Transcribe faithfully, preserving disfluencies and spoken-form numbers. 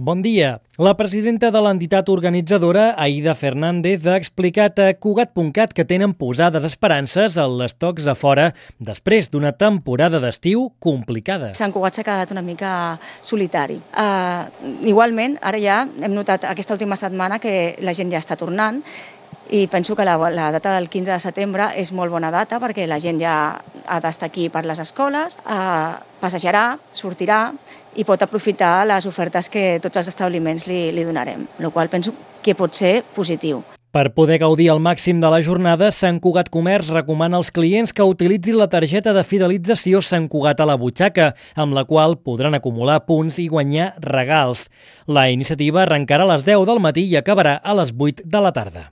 Bon dia. La presidenta de l'entitat organitzadora, Aida Fernández, ha explicat a Cugat punt cat que tenen posades esperances en les tocs a fora després d'una temporada d'estiu complicada. Sant Cugat s'ha quedat una mica solitari. Uh, igualment, ara ja hem notat aquesta última setmana que la gent ja està tornant i penso que la, la data del quinze de setembre és molt bona data perquè la gent ja ha d'estar aquí per les escoles, uh, passejarà, sortirà i pot aprofitar les ofertes que tots els establiments li, li donarem, el qual penso que pot ser positiu. Per poder gaudir al màxim de la jornada, Sant Cugat Comerç recomana als clients que utilitzin la targeta de fidelització Sant Cugat a la butxaca, amb la qual podran acumular punts i guanyar regals. La iniciativa arrencarà a les deu del matí i acabarà a les vuit de la tarda.